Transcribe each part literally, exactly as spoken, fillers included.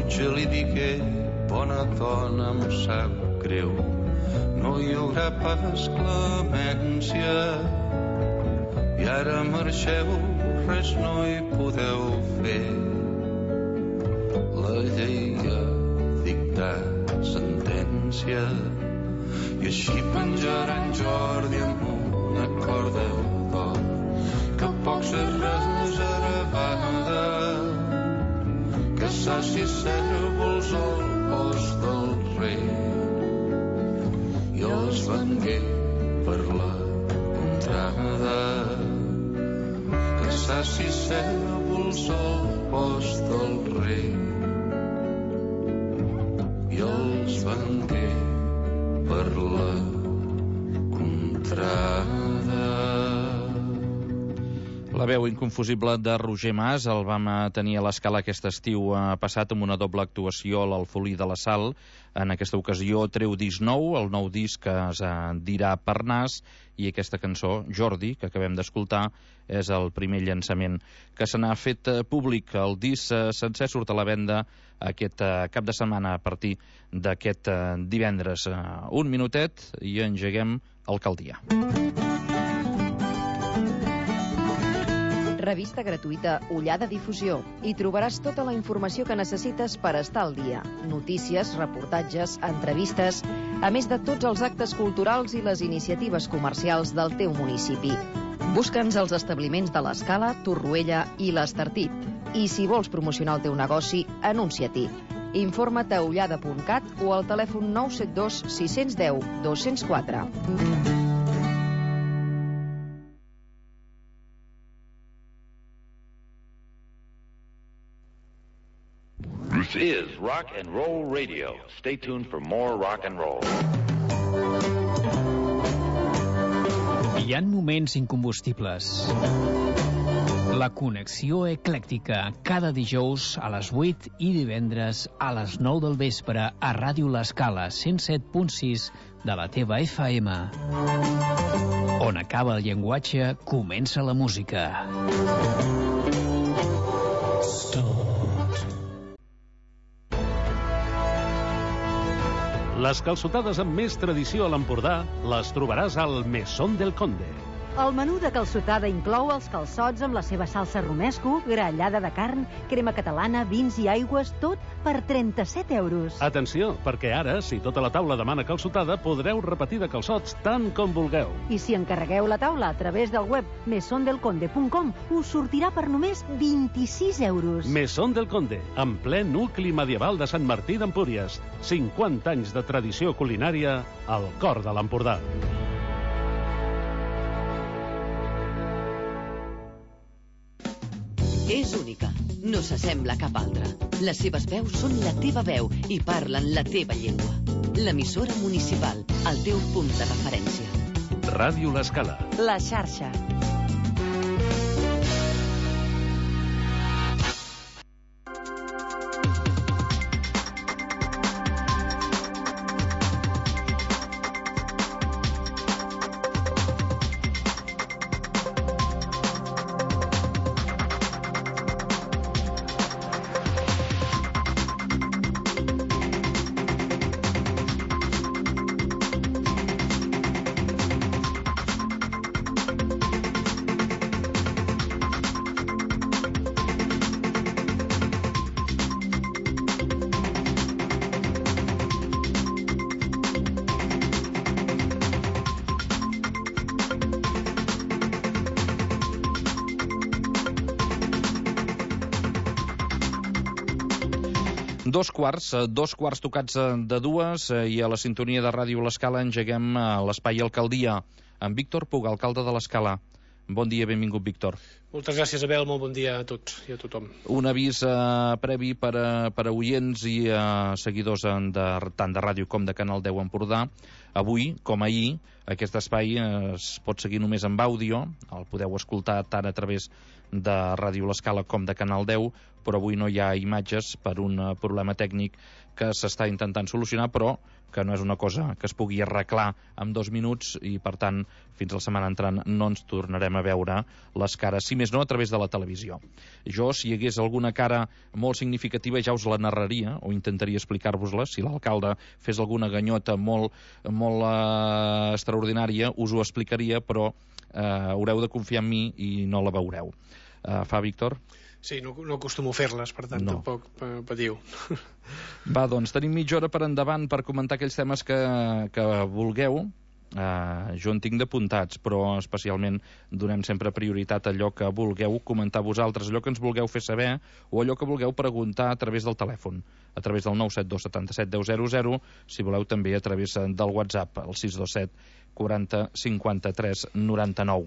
Puja li digué, bona dona, em sap greu, no hi haurà pas clemència, i ara marxeu, res no hi podeu fer. La llei ha dictat sentència, i així penjaran Jordi amb una corda d'or, que poc se reservada, que saci cèrvols al post del rei, i els vengué per la contrada, que saci cèrvols al post del rei, i els vengué per la contrada. La veu inconfusible de Roger Mas el vam tenir a l'Escala aquest estiu passat amb una doble actuació a l'Alfolí de la Sal. En aquesta ocasió treu disc nou, el nou disc que es dirà Parnàs, i aquesta cançó, Jordi, que acabem d'escoltar, és el primer llançament que se n'ha fet públic. El disc sencer surt a la venda aquest cap de setmana a partir d'aquest divendres. Un minutet i engeguem Alcaldia. Revista gratuïta Ullada Difusió. Hi trobaràs tota la informació que necessites per estar al dia. Notícies, reportatges, entrevistes, a més de tots els actes culturals i les iniciatives comercials del teu municipi. Busca'ns als establiments de l'Escala, Torroella i l'Estartit. I si vols promocionar el teu negoci, anuncia-t'hi. Informa't a ullada punt cat o al telèfon nou set dos sis un zero dos zero quatre. This is Rock and Roll Radio. Stay tuned for more rock and roll. Hi ha moments incombustibles. La connexió eclèctica, cada dijous a les vuit i divendres a les nou del vespre a Ràdio L'Escala, cent set punt sis de la teva F M. On acaba el llenguatge, comença la música. Les calçotades amb més tradició a l'Empordà les trobaràs al Mesón del Conde. El menú de calçotada inclou els calçots amb la seva salsa romesco, grallada de carn, crema catalana, vins i aigües, tot per trenta-set euros. Atenció, perquè ara, si tota la taula demana calçotada, podreu repetir de calçots tant com vulgueu. I si encarregueu la taula a través del web mesón del conde punt com, us sortirà per només vint-i-sis euros. Mesón del Conde, en ple nucli medieval de Sant Martí d'Empúries. cinquanta anys de tradició culinària al cor de l'Empordà. És única, no s'assembla a cap altra. Les seves veus són la teva veu i parlen la teva llengua. L'emissora municipal, el teu punt de referència. Ràdio L'Escala. La xarxa. Dos quarts, dos quarts tocats de dues, i a la sintonia de Ràdio L'Escala engeguem l'espai Alcaldia amb Víctor Puga, alcalde de l'Escala. Bon dia, benvingut, Víctor. Moltes gràcies, Abel, molt bon dia a tots i a tothom. Un avís eh, previ per a, per a oients i eh, seguidors de, tant de ràdio com de Canal deu Empordà. Avui, com ahir, aquest espai eh, es pot seguir només amb àudio, el podeu escoltar tant a través de Ràdio L'Escala com de Canal deu, però avui no hi ha imatges per un uh, problema tècnic que s'està intentant solucionar, però que no és una cosa que es pugui arreglar en dos minuts i, per tant, fins la setmana entrant no ens tornarem a veure les cares, si més no a través de la televisió. Jo, si hi hagués alguna cara molt significativa, ja us la narraria o intentaria explicar-vos-la. Si l'alcalde fes alguna ganyota molt, molt eh, extraordinària, us ho explicaria, però eh, haureu de confiar en mi i no la veureu. Eh, fa, Víctor? Sí, no, no acostumo a fer-les, per tant, no. Tampoc patiu. Va, doncs, tenim mitja hora per endavant per comentar aquells temes que, que vulgueu. Uh, jo en tinc d'apuntats, però especialment donem sempre prioritat a allò que vulgueu comentar vosaltres, allò que ens vulgueu fer saber o allò que vulgueu preguntar a través del telèfon, a través del nou set dos set set deu zero zero, si voleu també a través del WhatsApp, el sis dos set quaranta cinquanta-tres noranta-nou.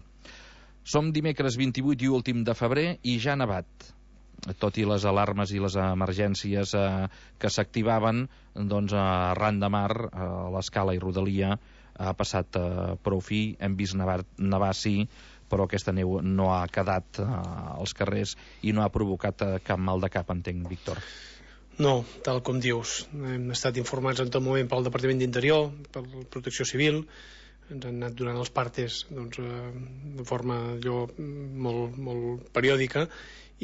Som dimecres vint-i-vuit i últim de febrer i ja ha nevat. Tot i les alarmes i les emergències eh, que s'activaven, doncs arran de mar, a l'Escala i Rodalia ha passat eh, prou fi, hem vist nevar, nevar sí, però aquesta neu no ha quedat eh, als carrers i no ha provocat eh, cap mal de cap, entenc, Víctor. No, tal com dius. Hem estat informats en tot moment pel Departament d'Interior, per la Protecció Civil, ens han anat donant els partes doncs, de forma allò, molt, molt periòdica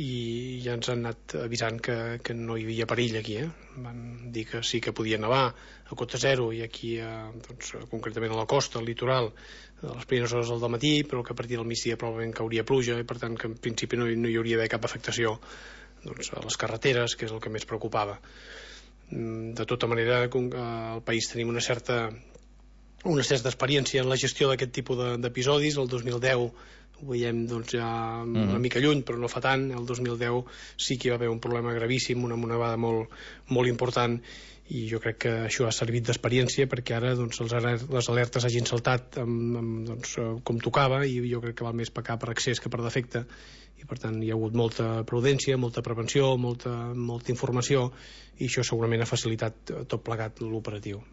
i ja ens han anat avisant que, que no hi havia perill aquí. Eh? Van dir que sí que podia nevar a cota zero i aquí, a, doncs, concretament a la costa, al litoral, a les primeres hores del matí, però que a partir del migdia probablement cauria pluja i per tant que en principi no, no hi hauria d'haver cap afectació doncs, a les carreteres, que és el que més preocupava. De tota manera, al país tenim una certa una certa experiència en la gestió d'aquest tipus d'episodis. El dos mil deu ho veiem doncs, ja una mica lluny, però no fa tant. El dos mil deu sí que hi va haver un problema gravíssim, una nevada molt, molt important, i jo crec que això ha servit d'experiència perquè ara doncs, els, les alertes hagin saltat amb, amb, doncs, com tocava, i jo crec que val més pecar per excés que per defecte, i per tant hi ha hagut molta prudència, molta prevenció, molta, molta informació, i això segurament ha facilitat tot plegat l'operatiu.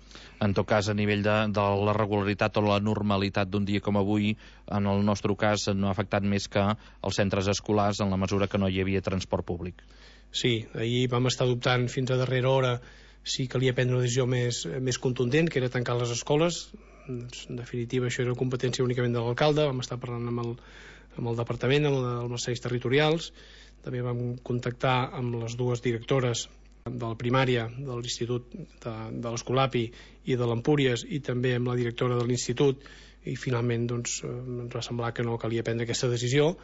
En tot cas, a nivell de, de la regularitat o la normalitat d'un dia com avui, en el nostre cas no ha afectat més que els centres escolars en la mesura que no hi havia transport públic. Sí, ahir vam estar dubtant fins a darrera hora si calia prendre una decisió més, més contundent, que era tancar les escoles. En definitiva, això era competència únicament de l'alcalde. Vam estar parlant amb el, amb el departament, amb, el, amb els serveis territorials. També vam contactar amb les dues directores de la primària de l'Institut de, de l'Escolapi i de l'Empúries, i també amb la directora de l'Institut, i finalment doncs, ens va semblar que no calia prendre aquesta decisió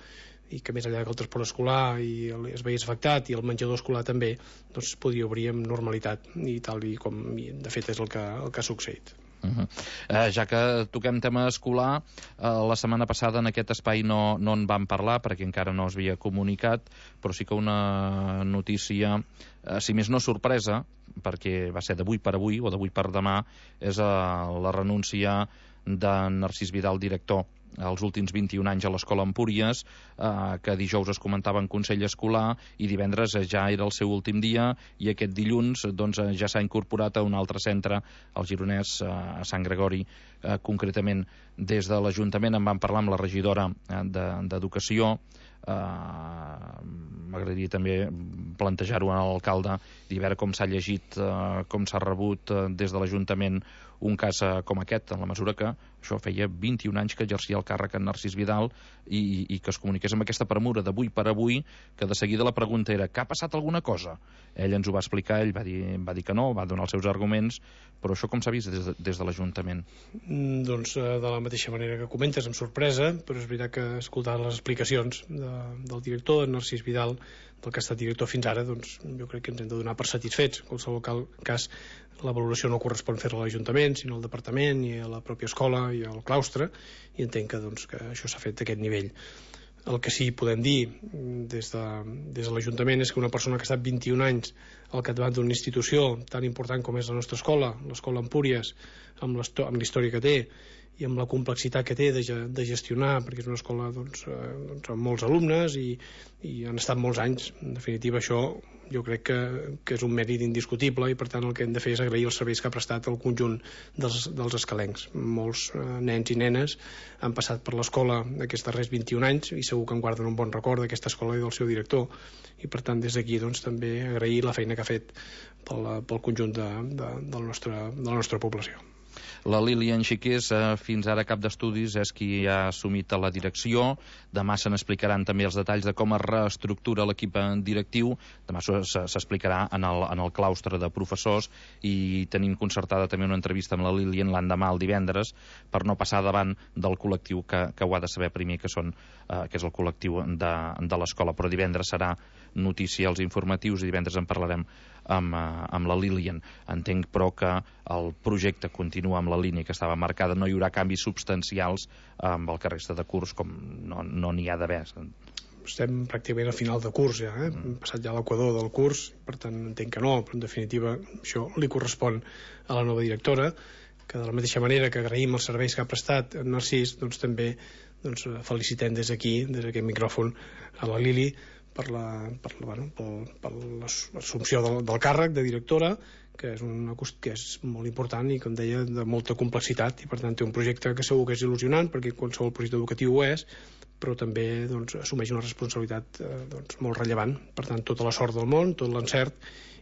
i que més enllà que el transport escolar i el, es veiés afectat i el menjador escolar també, doncs podia obrir amb normalitat, i tal i com de fet és el que, el que ha succeït. Uh -huh. eh, ja que toquem tema escolar, eh, la setmana passada en aquest espai no, no en vam parlar perquè encara no es havia comunicat, però sí que una notícia, eh, si més no sorpresa, perquè va ser d'avui per avui o d'avui per demà, és eh, la renúncia de Narcís Vidal, director els últims vint-i-un anys a l'Escola Empúries, eh, que dijous es comentava en Consell Escolar i divendres ja era el seu últim dia, i aquest dilluns doncs, ja s'ha incorporat a un altre centre, al Gironès, eh, a Sant Gregori. Eh, concretament, des de l'Ajuntament en vam parlar amb la regidora d'Educació. Uh, m'agradaria també plantejar-ho a l'alcalde i veure com s'ha llegit, uh, com s'ha rebut uh, des de l'Ajuntament un cas uh, com aquest, en la mesura que això feia vint-i-un anys que exercia el càrrec en Narcís Vidal i, i que es comuniqués amb aquesta premura d'avui per avui, que de seguida la pregunta era que ha passat alguna cosa? Ell ens ho va explicar, ell va dir, va dir que no, va donar els seus arguments, però això com s'ha vist des de, des de l'Ajuntament? Mm, doncs de la mateixa manera que comentes, amb sorpresa, però és veritat que escoltar les explicacions de, del director, de Narcís Vidal, del que ha estat director fins ara, doncs jo crec que ens hem de donar per satisfets. En qualsevol cas, la valoració no correspon fer-la a l'Ajuntament, sinó al departament i a la pròpia escola i al claustre, i entenc que, doncs, que això s'ha fet a aquest nivell. El que sí podem dir des de, des de l'Ajuntament és que una persona que ha estat vint-i-un anys al capdavant d'una institució tan important com és la nostra escola, l'escola Empúries, amb la història que té, i amb la complexitat que té de, de gestionar, perquè és una escola doncs, eh, doncs amb molts alumnes i, i han estat molts anys. En definitiva, això jo crec que, que és un mèrit indiscutible i per tant el que hem de fer és agrair els serveis que ha prestat el conjunt dels, dels escalencs. Molts eh, nens i nenes han passat per l'escola aquests darrers vint-i-un anys i segur que en guarden un bon record d'aquesta escola i del seu director, i per tant des d'aquí doncs, també agrair la feina que ha fet pel, pel conjunt de, de, del nostre, de la nostra població. La Lilian Xiqués, eh, fins ara cap d'estudis, és qui ha assumit la direcció. Demà se n'explicaran també els detalls de com es reestructura l'equip directiu. Demà s'explicarà en, el, en el claustre de professors i tenim concertada també una entrevista amb la Lilian l'endemà, el divendres, per no passar davant del col·lectiu que, que ho ha de saber primer, que, són, eh, que és el col·lectiu de, de l'escola. Però divendres serà notícia als informatius i divendres en parlarem amb, amb la Lilian. Entenc, però, que el projecte continua amb la línia que estava marcada. No hi haurà canvis substancials amb el que resta de curs, com no no n'hi ha d'haver. Estem pràcticament al final de curs ja, eh? Hem passat ja l'equador del curs, per tant entenc que no, però en definitiva això li correspon a la nova directora, que de la mateixa manera que agraïm els serveis que ha prestat en Narcís, doncs també doncs, felicitem des d'aquí, des d'aquest micròfon, a la Lili per la, per, bueno, per, per l'assumpció del, del càrrec de directora, que és, una, que és molt important i, com deia, de molta complexitat, i per tant té un projecte que segur que és il·lusionant, perquè qualsevol projecte educatiu ho és, però també doncs, assumeix una responsabilitat eh, doncs, molt rellevant. Per tant, tota la sort del món, tot l'encert,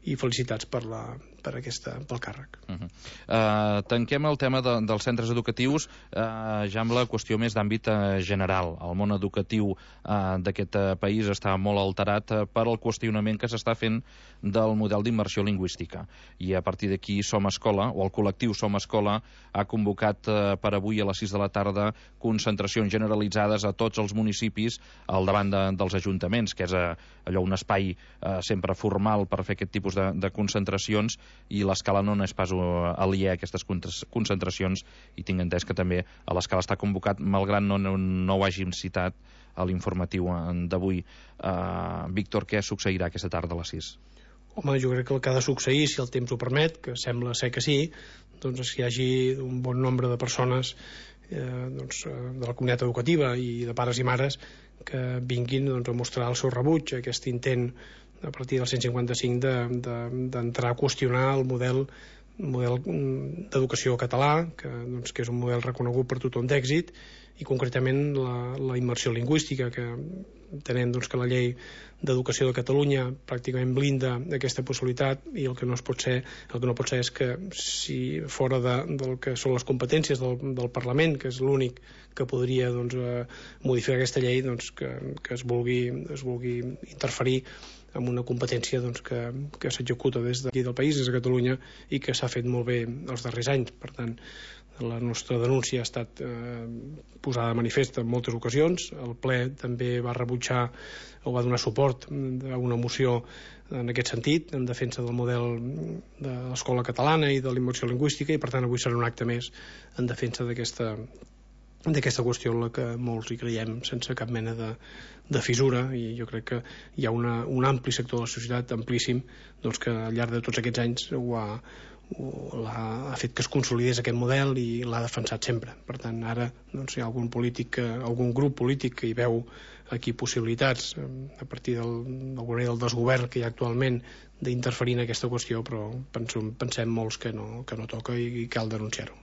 i felicitats per, la, per aquesta, pel càrrec. Uh -huh. uh, tanquem el tema de, dels centres educatius uh, ja amb la qüestió més d'àmbit uh, general. El món educatiu uh, d'aquest uh, país està molt alterat uh, per el qüestionament que s'està fent del model d'immersió lingüística, i a partir d'aquí Som Escola, o el col·lectiu Som Escola, ha convocat uh, per avui a les sis de la tarda concentracions generalitzades a tots els municipis al davant de, dels ajuntaments, que és uh, allò un espai uh, sempre formal per fer aquest tipus de, de concentracions, i l'Escala no és pas aliè a aquestes concentracions, i tinc entès que també a l'Escala està convocat, malgrat no, no, no ho hàgim citat a l'informatiu d'avui. Uh, Víctor, què succeirà aquesta tarda a les sis? Home, jo crec que el que ha de succeir, si el temps ho permet, que sembla ser que sí, doncs és que hi hagi un bon nombre de persones eh, doncs, de la comunitat educativa i de pares i mares que vinguin doncs, a mostrar el seu rebuig a aquest intent a partir del cent cinquanta-cinc d'entrar de, de, a qüestionar el model, model d'educació català, que, doncs, que és un model reconegut per tothom d'èxit, i concretament la, la immersió lingüística, que entenem doncs, que la llei d'educació de Catalunya pràcticament blinda aquesta possibilitat, i el que no es pot ser, el que no pot ser és que si fora de, del que són les competències del, del Parlament, que és l'únic que podria doncs, eh, modificar aquesta llei, doncs, que, que es vulgui, es vulgui interferir amb una competència doncs, que, que s'executa des d'aquí del país, des de Catalunya, i que s'ha fet molt bé els darrers anys. Per tant, la nostra denúncia ha estat eh, posada de manifest en moltes ocasions. El ple també va rebutjar o va donar suport a una moció en aquest sentit, en defensa del model de l'escola catalana i de la immersió lingüística, i per tant avui serà un acte més en defensa d'aquesta d'aquesta qüestió en la que molts hi creiem sense cap mena de, de fissura, i jo crec que hi ha una, un ampli sector de la societat amplíssim doncs, que al llarg de tots aquests anys ho ha, ho, ha, ha fet que es consolidés aquest model i l'ha defensat sempre. Per tant, ara doncs, hi ha algun polític, algun grup polític que hi veu aquí possibilitats a partir del, del desgovern que hi ha actualment d'interferir en aquesta qüestió, però pensem, pensem molts que no, que no toca i, i cal denunciar-ho.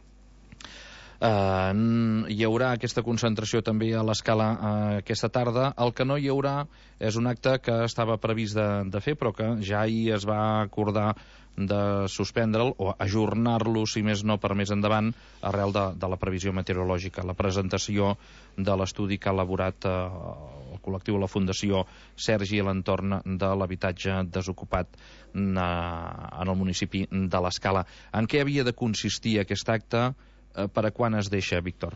Uh, hi haurà aquesta concentració també a l'Escala uh, aquesta tarda. El que no hi haurà és un acte que estava previst de, de fer, però que ja ahir es va acordar de suspendre'l o ajornar-lo, si més no, per més endavant, arrel de, de la previsió meteorològica. La presentació de l'estudi que ha elaborat uh, el col·lectiu de la Fundació Sergi a l'entorn de l'habitatge desocupat uh, en el municipi de l'Escala. En què havia de consistir aquest acte? Per a quan es deixa, Víctor?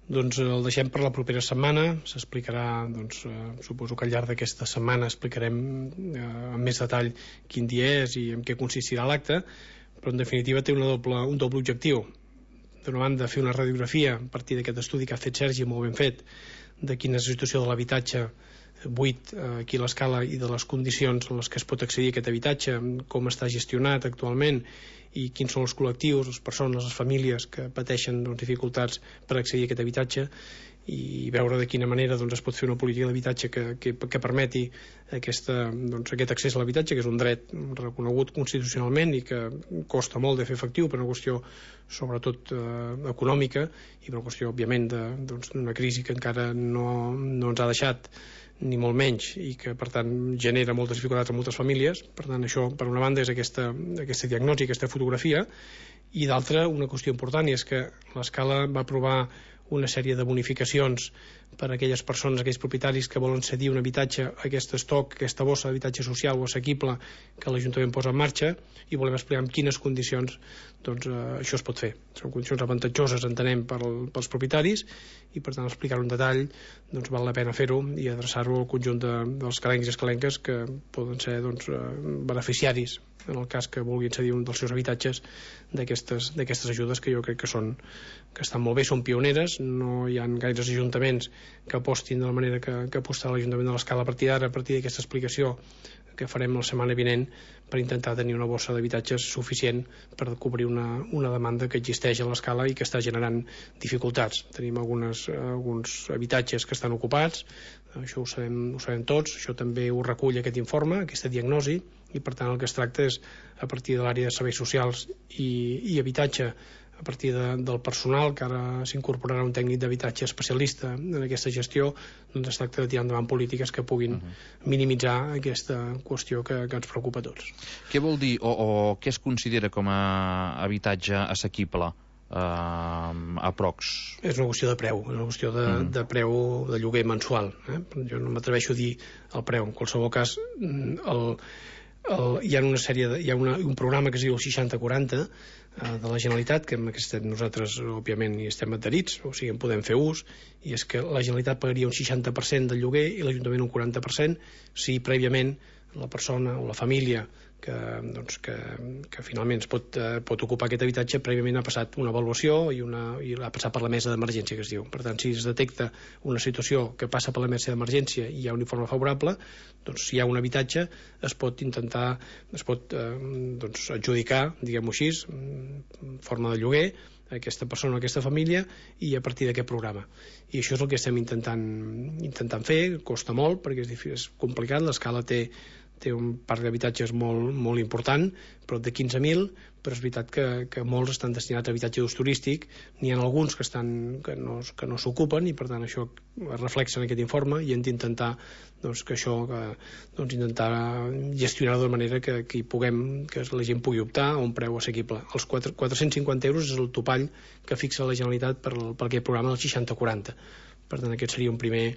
Doncs el deixem per la propera setmana. S'explicarà, doncs, eh, suposo que al llarg d'aquesta setmana explicarem eh, amb més detall quin dia és i en què consistirà l'acte, però en definitiva té una doble, un doble objectiu. D'una banda, fer una radiografia a partir d'aquest estudi que ha fet Sergi, molt ben fet, de quina és la situació de l'habitatge buit aquí a l'Escala i de les condicions en les que es pot accedir a aquest habitatge, com està gestionat actualment i quins són els col·lectius, les persones, les famílies que pateixen doncs, dificultats per accedir a aquest habitatge, i veure de quina manera doncs, es pot fer una política d'habitatge que, que, que permeti aquesta, doncs, aquest accés a l'habitatge, que és un dret reconegut constitucionalment i que costa molt de fer efectiu per una qüestió sobretot eh, econòmica i per una qüestió, òbviament, d'una doncs, crisi que encara no, no ens ha deixat ni molt menys i que per tant genera moltes dificultats a moltes famílies. Per tant, això per una banda és aquesta, aquesta diagnosi, aquesta fotografia, i d'altra una qüestió important, i és que l'Escala va aprovar una sèrie de bonificacions per a aquelles persones, aquells propietaris que volen cedir un habitatge a aquest estoc, aquesta bossa d'habitatge social o assequible que l'Ajuntament posa en marxa, i volem explicar en quines condicions doncs, eh, això es pot fer. Són condicions avantatjoses, entenem, per, pels propietaris, i per tant explicar-ho en detall doncs, val la pena fer-ho i adreçar-ho al conjunt de, dels calencs i escalenques que poden ser doncs, eh, beneficiaris en el cas que vulguin cedir un dels seus habitatges d'aquestes ajudes, que jo crec que són que estan molt bé, són pioneres. No hi ha gaires ajuntaments que apostin de la manera que, que apostarà l'Ajuntament de l'Escala a partir d'ara, a partir d'aquesta explicació que farem la setmana vinent, per intentar tenir una bossa d'habitatges suficient per cobrir una, una demanda que existeix a l'Escala i que està generant dificultats. Tenim algunes, alguns habitatges que estan ocupats, això ho sabem, ho sabem tots, això també ho recull aquest informe, aquesta diagnosi, i per tant el que es tracta és, a partir de l'àrea de serveis socials i, i habitatge, a partir de, del personal, que ara s'incorporarà un tècnic d'habitatge especialista en aquesta gestió, doncs es tracta de tirar endavant polítiques que puguin uh-huh. minimitzar aquesta qüestió que, que ens preocupa a tots. Què vol dir, o, o què es considera com a habitatge assequible eh, aprox? És una qüestió de preu, és una qüestió de, uh-huh. de preu de lloguer mensual. Eh? Jo no m'atreveixo a dir el preu. En qualsevol cas, el El, hi ha una sèrie de, hi ha una, un programa que es diu el seixanta quaranta eh, de la Generalitat, que amb aquest nosaltres òbviament hi estem adherits, o sigui en podem fer ús, i és que la Generalitat pagaria un seixanta per cent del lloguer i l'Ajuntament un quaranta per cent si prèviament la persona o la família que, doncs, que, que finalment es pot, eh, pot ocupar aquest habitatge prèviament ha passat una avaluació i, una, i ha passat per la mesa d'emergència, que es diu. Per tant, si es detecta una situació que passa per la mesa d'emergència i hi ha un informe favorable, doncs si hi ha un habitatge es pot intentar, es pot eh, doncs, adjudicar, diguem-ho així, en forma de lloguer, a aquesta persona o aquesta família, i a partir d'aquest programa. I això és el que estem intentant, intentant fer. Costa molt perquè és, difícil, és complicat. L'Escala té té un parc d'habitatges molt, molt important, però de quinze mil, però és veritat que, que molts estan destinats a habitatge d'ús turístic, n'hi ha alguns que, estan, que no, que no s'ocupen, i per tant això es reflexa en aquest informe, i hem d'intentar doncs, que això, que, doncs, intentar gestionar-ho de manera que, que hi puguem, que la gent pugui optar a un preu assequible. Els quatre-cents cinquanta euros és el topall que fixa la Generalitat per, per aquest programa del seixanta quaranta. Per tant, aquest seria un primer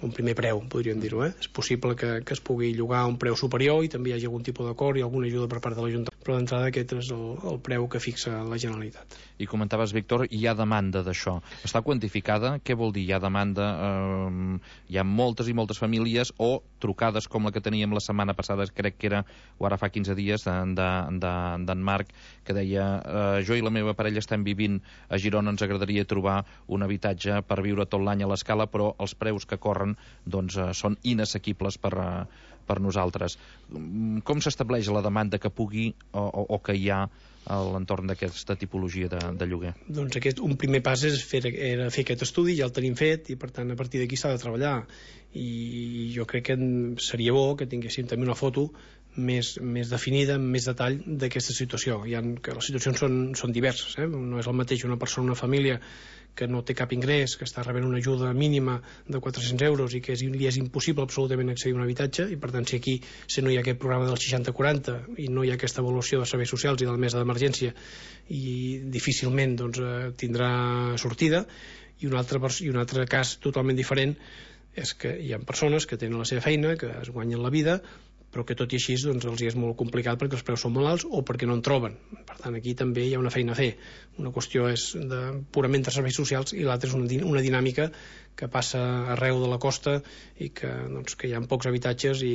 un primer preu, podríem dir-ho. Eh? És possible que, que es pugui llogar a un preu superior i també hi hagi algun tipus d'acord i alguna ajuda per part de l'Ajuntament, però d'entrada aquest és el, el preu que fixa la Generalitat. I comentaves, Víctor, hi ha demanda d'això. Està quantificada? Què vol dir? Hi ha demanda? Eh, hi ha moltes i moltes famílies o trucades com la que teníem la setmana passada, crec que era, o ara fa quinze dies, d'en de, de, de, Marc, que deia eh, jo i la meva parella estem vivint a Girona, ens agradaria trobar un habitatge per viure tot l'any a l'Escala, però els preus que corren doncs, eh, són inassequibles per, eh, per nosaltres. Com s'estableix la demanda que pugui o, o, o que hi ha a l'entorn d'aquesta tipologia de, de lloguer? Doncs aquest, un primer pas és fer, era fer aquest estudi, ja el tenim fet, i per tant a partir d'aquí s'ha de treballar, i jo crec que seria bo que tinguéssim també una foto més, més definida, amb més detall d'aquesta situació. Hi ha, que les situacions són, són diverses, eh? No és el mateix una persona, una família que no té cap ingrés, que està rebent una ajuda mínima de quatre-cents euros i que és, li és impossible absolutament accedir a un habitatge, i per tant si aquí si no hi ha aquest programa del seixanta quaranta i no hi ha aquesta avaluació de serveis socials i de la mesa d'emergència, i difícilment doncs, tindrà sortida. I un altre, i un altre cas totalment diferent és que hi ha persones que tenen la seva feina, que es guanyen la vida, però que tot i així doncs, els és molt complicat perquè els preus són molt alts o perquè no en troben. Per tant, aquí també hi ha una feina a fer. Una qüestió és de, purament de serveis socials, i l'altra és una, una dinàmica que passa arreu de la costa i que, doncs, que hi ha pocs habitatges i,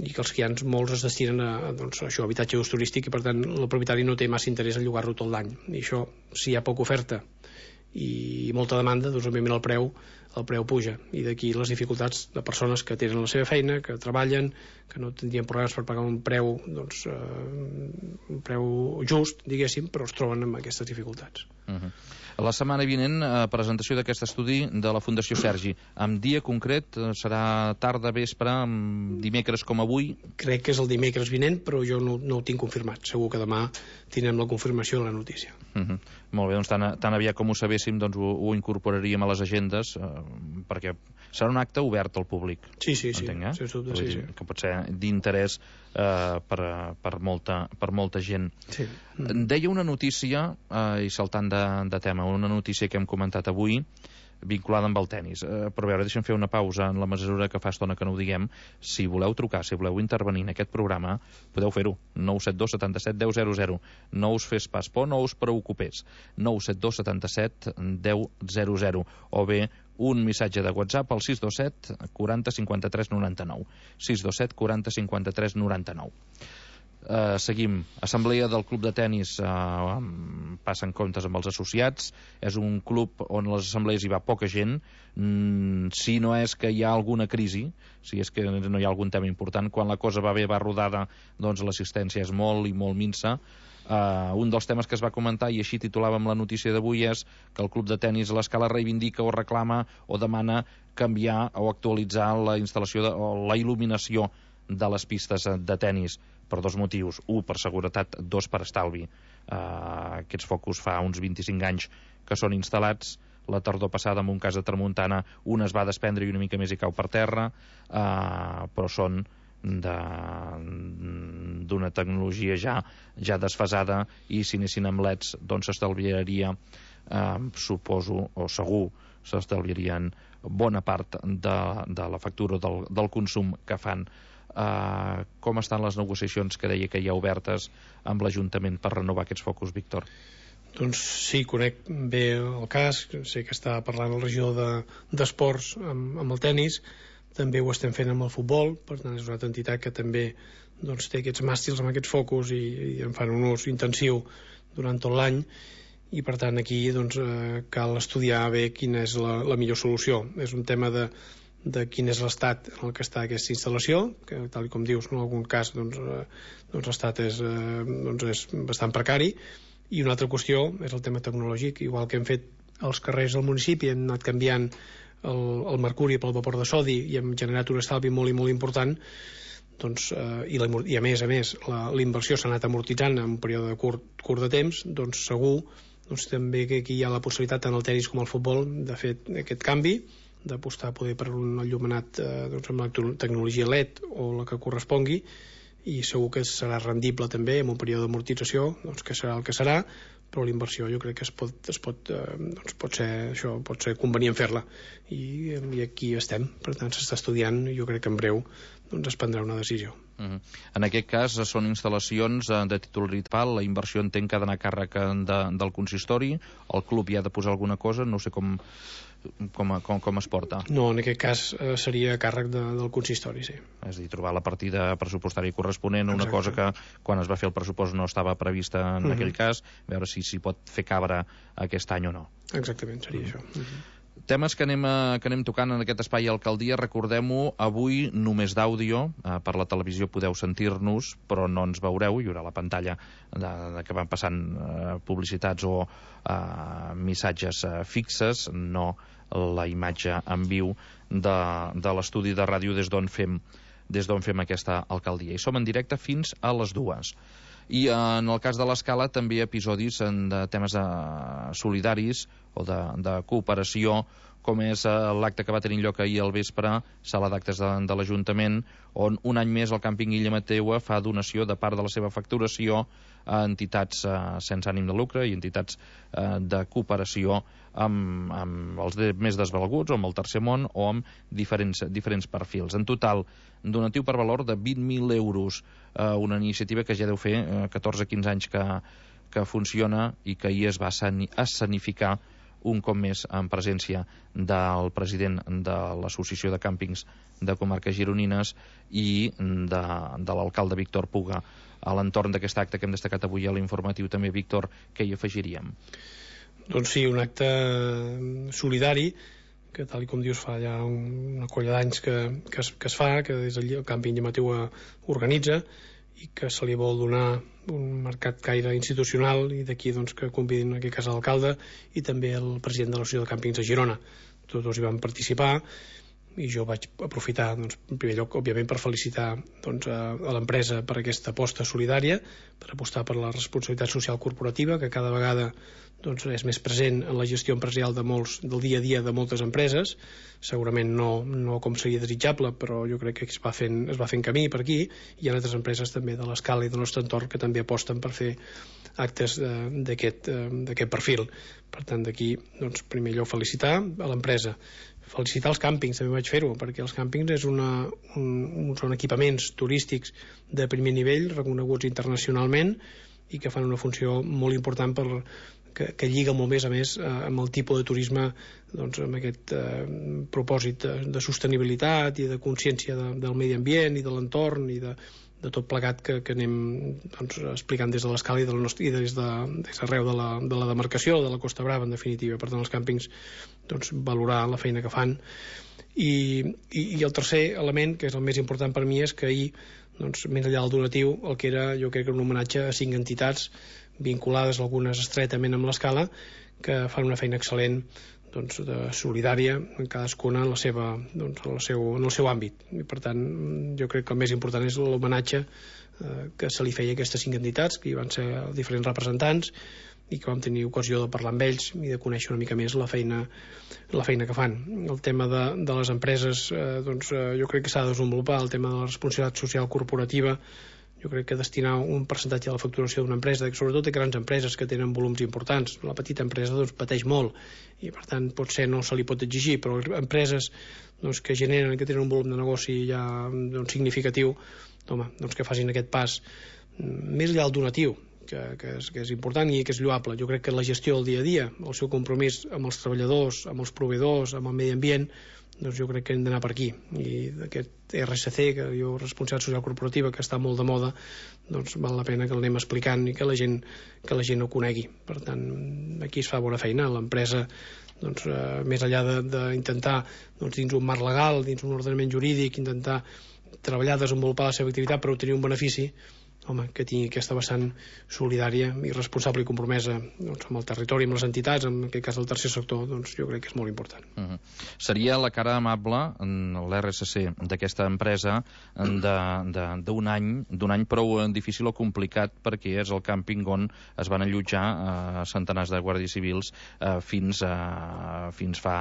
i que els que hi ha molts es destinen a, doncs, a això, habitatge d'ús turístic, i per tant el propietari no té massa interès a llogar-lo tot l'any. I això, si hi ha poca oferta i molta demanda, doncs òbviament el preu el preu puja, i d'aquí les dificultats de persones que tenen la seva feina, que treballen, que no tindrien problemes per pagar un preu doncs, eh, un preu just, diguéssim, però es troben amb aquestes dificultats. Uh-huh. La setmana vinent, eh, presentació d'aquest estudi de la Fundació Sergi. Amb dia concret, eh, serà tarda, vespre, dimecres com avui? Crec que és el dimecres vinent, però jo no, no ho tinc confirmat. Segur que demà tindrem la confirmació de la notícia. Uh-huh. Molt bé, doncs tan, tan aviat com ho sabéssim, doncs ho, ho incorporaríem a les agendes, eh, perquè serà un acte obert al públic. Sí, sí, sí. Entenc, eh? Sí, sí, sí, sí. Que pot ser d'interès eh, per, per, molta, per molta gent. Sí. Mm. Deia una notícia, eh, i saltant de, de tema, una notícia que hem comentat avui, vinculada amb el tennis. Eh, però a veure, deixa'm fer una pausa en la mesura que fa estona que no ho diguem. Si voleu trucar, si voleu intervenir en aquest programa, podeu fer-ho. nou set dos setanta-set deu zero zero. No us fes pas por, no us preocupés. nou set dos setanta-set deu zero zero. O bé un missatge de WhatsApp al sis dos set quaranta cinquanta-tres noranta-nou. sis dos set quaranta cinquanta-tres noranta-nou. Uh, seguim. Assemblea del Club de Tenis, uh, passen comptes amb els associats. És un club on les assemblees hi va poca gent. Mm, si no és que hi ha alguna crisi, si és que no hi ha algun tema important, quan la cosa va bé, va rodada, doncs l'assistència és molt i molt minsa. Uh, un dels temes que es va comentar, i així titulàvem la notícia d'avui, és que el Club de Tenis a l'Escala reivindica o reclama o demana canviar o actualitzar la instal·lació de, o la il·luminació de les pistes de tenis, per dos motius. Un, per seguretat; dos, per estalvi. Uh, aquests focus fa uns vint-i-cinc anys que són instal·lats. La tardor passada, en un cas de tramuntana, un es va desprendre i una mica més i cau per terra, uh, però són d'una tecnologia ja ja desfasada, i si anessin amb leds doncs s'estalviaria, eh, suposo, o segur s'estalviarien bona part de, de la factura del, del consum que fan. Uh, com estan les negociacions que deia que hi ha obertes amb l'Ajuntament per renovar aquests focus, Víctor? Doncs sí, conec bé el cas, sé que està parlant el regidor d'Esports de, amb, amb el tennis, també ho estem fent amb el futbol, per tant és una altra entitat que també doncs, té aquests màstils amb aquests focus i, i en fan un ús intensiu durant tot l'any, i per tant aquí doncs, eh, cal estudiar bé quina és la, la millor solució. És un tema de de quin és l'estat en el que està aquesta instal·lació, que tal com dius, en algun cas doncs, eh, doncs l'estat és, eh, doncs és bastant precari, i una altra qüestió és el tema tecnològic. Igual que hem fet als carrers del municipi, hem anat canviant el, el mercuri pel vapor de sodi i hem generat un estalvi molt i molt important, doncs, eh, i, la, i a més a més la, la inversió s'ha anat amortitzant en un període curt, curt de temps, doncs segur doncs, també que aquí hi ha la possibilitat tant al tenis com al futbol de fer aquest canvi, d'apostar poder per un enllumenat eh, doncs amb la tecnologia L E D o la que correspongui, i segur que serà rendible també en un període d'amortització, doncs que serà el que serà, però l'inversió jo crec que es pot, es pot, eh, doncs pot ser això, pot ser convenient fer-la, i, i aquí estem. Per tant s'està estudiant, i jo crec que en breu doncs es prendrà una decisió. Uh-huh. En aquest cas són instal·lacions de titularitat, la inversió entenc que ha d'anar a càrrec de, del consistori, el club hi ha de posar alguna cosa, no sé com Com, com, com es porta? No, en aquest cas eh, seria a càrrec de, del consistori, sí. És a dir, trobar la partida pressupostària corresponent, una Exacte. cosa que quan es va fer el pressupost no estava prevista en uh-huh. aquell cas, veure si s'hi pot fer cabre aquest any o no. Exactament, seria uh-huh. això. Uh-huh. Temes que anem, a, que anem tocant en aquest espai Alcaldia, recordem-ho, avui només d'àudio, eh, per la televisió podeu sentir-nos, però no ens veureu, hi haurà la pantalla de, de que van passant eh, publicitats o eh, missatges eh, fixes, no la imatge en viu de, de l'estudi de ràdio des d'on fem, des d'on fem aquesta alcaldia. I som en directe fins a les dues. I en el cas de l'Escala també episodis en de temes de solidaris o de, de cooperació, com és l'acte que va tenir lloc ahir al vespre, sala d'actes de, de l'Ajuntament, on un any més el càmping Illa Mateua fa donació de part de la seva facturació a entitats eh, sense ànim de lucre i entitats eh, de cooperació amb, amb els de, més desvalguts, o amb el tercer món, o amb diferents, diferents perfils. En total, donatiu per valor de vint mil euros, eh, una iniciativa que ja deu fer eh, catorze quinze anys que, que funciona i que ahir es va escenificar un cop més en presència del president de l'Associació de Càmpings de Comarques Gironines i de, de l'alcalde Víctor Puga. A l'entorn d'aquest acte que hem destacat avui a l'informatiu també, Víctor, què hi afegiríem? Doncs sí, un acte solidari que, tal com dius, fa ja una colla d'anys que, que, es, que es fa, que des del càmping Llamatiu organitza, i que se li vol donar un mercat gaire institucional, i d'aquí doncs, que convidin en aquest cas l'alcalde i també el president de l'Associació de Càmpings de Girona. Tots dos hi van participar, i jo vaig aprofitar, doncs, en primer lloc, òbviament, per felicitar doncs, a, a l'empresa per aquesta aposta solidària, per apostar per la responsabilitat social corporativa, que cada vegada doncs, és més present en la gestió empresarial de molts, del dia a dia de moltes empreses. Segurament no, no com seria desitjable, però jo crec que es va fent, es va fent camí per aquí. Hi ha altres empreses també de l'escala i del nostre entorn que també aposten per fer actes eh, d'aquest eh, perfil. Per tant, d'aquí, doncs, primer lloc, felicitar a l'empresa. Felicitar els càmpings, també vaig fer-ho, perquè els càmpings és una, un, són equipaments turístics de primer nivell, reconeguts internacionalment, i que fan una funció molt important per, que, que lliga molt més, a més, eh, amb el tipus de turisme, doncs, amb aquest eh, propòsit de, de sostenibilitat i de consciència de, del medi ambient i de l'entorn i de, de tot plegat que, que anem doncs, explicant des de l'escala i, del nostre, i des de, des d'arreu de la, de la demarcació, de la Costa Brava, en definitiva. Per tant, els càmpings, doncs, valorar la feina que fan. I, i, i el tercer element, que és el més important per mi, és que ahir, doncs, més enllà del donatiu, el que era, jo crec que un homenatge a cinc entitats vinculades, algunes estretament amb l'escala, que fan una feina excel·lent, doncs, de solidària, en cadascuna en, la seva, doncs, en, el seu, en el seu àmbit. I, per tant, jo crec que el més important és l'homenatge eh, que se li feia a aquestes cinc entitats, que hi van ser diferents representants, i que vam tenir ocasió de parlar amb ells i de conèixer una mica més la feina, la feina que fan. El tema de, de les empreses, eh, doncs, eh, jo crec que s'ha de desenvolupar el tema de la responsabilitat social corporativa. Jo crec que destinar un percentatge de la facturació d'una empresa, sobretot de grans empreses que tenen volums importants. La petita empresa, doncs, pateix molt, i per tant potser no se li pot exigir, però empreses, doncs, que generen, que tenen un volum de negoci ja, doncs, significatiu, home, doncs, que facin aquest pas més enllà del donatiu, que, que, és, que és important i que és lloable. Jo crec que la gestió del dia a dia, el seu compromís amb els treballadors, amb els proveïdors, amb el medi ambient, doncs jo crec que hem d'anar per aquí. I aquest R S C, que jo, responsabilitat social corporativa, que està molt de moda, doncs val la pena que l'anem explicant i que la gent, que la gent ho conegui. Per tant, aquí es fa bona feina. L'empresa, doncs, eh, més enllà d'intentar, doncs, dins un marc legal, dins un ordenament jurídic, intentar treballar, desenvolupar la seva activitat per obtenir un benefici, home, que tingui aquesta vessant solidària i responsable i compromesa, doncs, amb el territori, amb les entitats, en aquest cas el tercer sector, doncs jo crec que és molt important. Uh-huh. Seria la cara amable, l'R S C, d'aquesta empresa d'un any, d'un any prou difícil o complicat, perquè és el càmping on es van allotjar eh, centenars de guàrdies civils eh, fins, eh, fins fa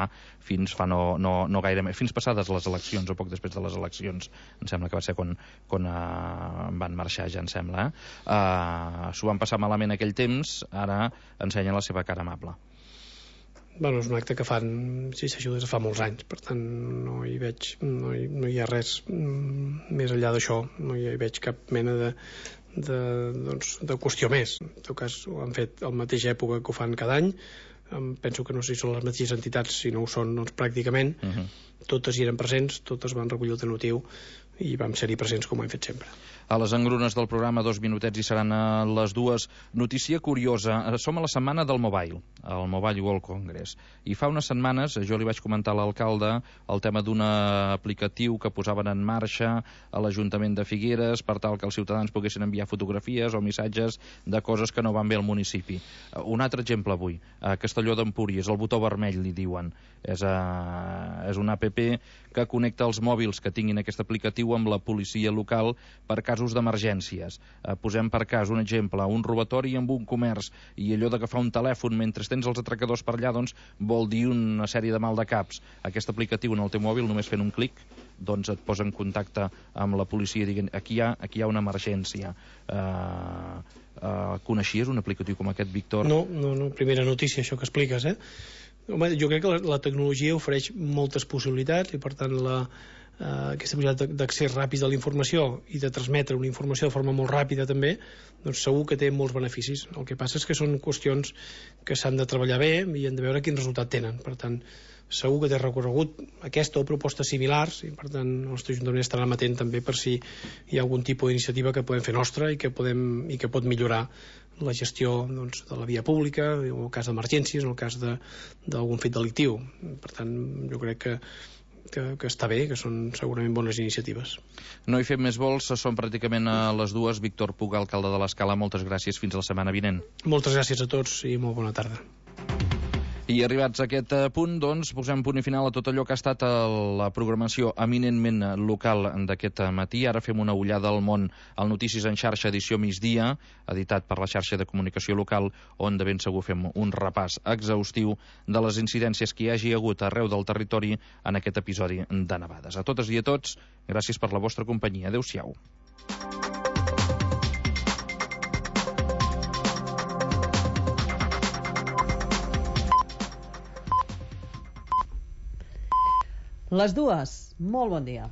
fins fa no, no, no gaire més, fins passades les eleccions o poc després de les eleccions, em sembla que va ser quan, quan eh, van marxar, ja em sembla. Eh? Uh, s'ho van passar malament aquell temps, ara ensenyen la seva cara amable. Bueno, és un acte que fan, si s'ajuda, des de fa molts anys, per tant no hi veig, no hi, no hi ha res mm, més enllà d'això, no hi veig cap mena de, de, doncs, de qüestió més. En tot cas, ho han fet a la mateixa època que ho fan cada any. Em penso que no sé si són les mateixes entitats, si no ho són, doncs pràcticament. Uh-huh. Totes hi eren presents, totes van recollir el donatiu i vam ser-hi presents com ho hem fet sempre. A les engrunes del programa, dos minutets, i seran a les dues. Notícia curiosa. Som a la setmana del Mobile, el Mobile World Congress. I fa unes setmanes jo li vaig comentar a l'alcalde el tema d'un aplicatiu que posaven en marxa a l'Ajuntament de Figueres per tal que els ciutadans poguessin enviar fotografies o missatges de coses que no van bé al municipi. Un altre exemple avui. A Castelló d'Empúries, el botó vermell, li diuen. És, a, és una app que connecta els mòbils que tinguin aquest aplicatiu amb la policia local per casos d'emergències. Eh, posem per cas un exemple, un robatori amb un comerç, i allò d'agafar un telèfon mentre tens els atracadors per allà, doncs vol dir una sèrie de maldecaps. Aquest aplicatiu en el teu mòbil, només fent un clic, doncs et posa en contacte amb la policia dient aquí hi ha, aquí hi ha una emergència. Eh, eh, coneixies un aplicatiu com aquest, Víctor? No, no, no, primera notícia això que expliques, eh? Home, jo crec que la, la tecnologia ofereix moltes possibilitats i per tant la, eh, aquesta possibilitat d'accés ràpid a la informació i de transmetre una informació de forma molt ràpida també, doncs segur que té molts beneficis. El que passa és que són qüestions que s'han de treballar bé i hem de veure quin resultat tenen. Per tant, segur que té recorregut aquesta o propostes similars i per tant el nostre Ajuntament estarà amatent també per si hi ha algun tipus d'iniciativa que podem fer nostra i que, podem, i que pot millorar la gestió doncs, de la via pública, en el cas d'emergències, en el cas d'algun fet delictiu. Per tant, jo crec que Que, que està bé, que són segurament bones iniciatives. No hi fem més vols, són pràcticament a les dues. Víctor Puga, alcalde de l'Escala, moltes gràcies, fins la setmana vinent. Moltes gràcies a tots i molt bona tarda. I arribats a aquest punt, doncs, posem punt i final a tot allò que ha estat la programació eminentment local d'aquest matí. Ara fem una ullada al món al Notícies en xarxa, edició migdia, editat per la xarxa de comunicació local, on de ben segur fem un repàs exhaustiu de les incidències que hi hagi hagut arreu del territori en aquest episodi de nevades. A totes i a tots, gràcies per la vostra companyia. Adéu-siau. Les dues, molt bon dia.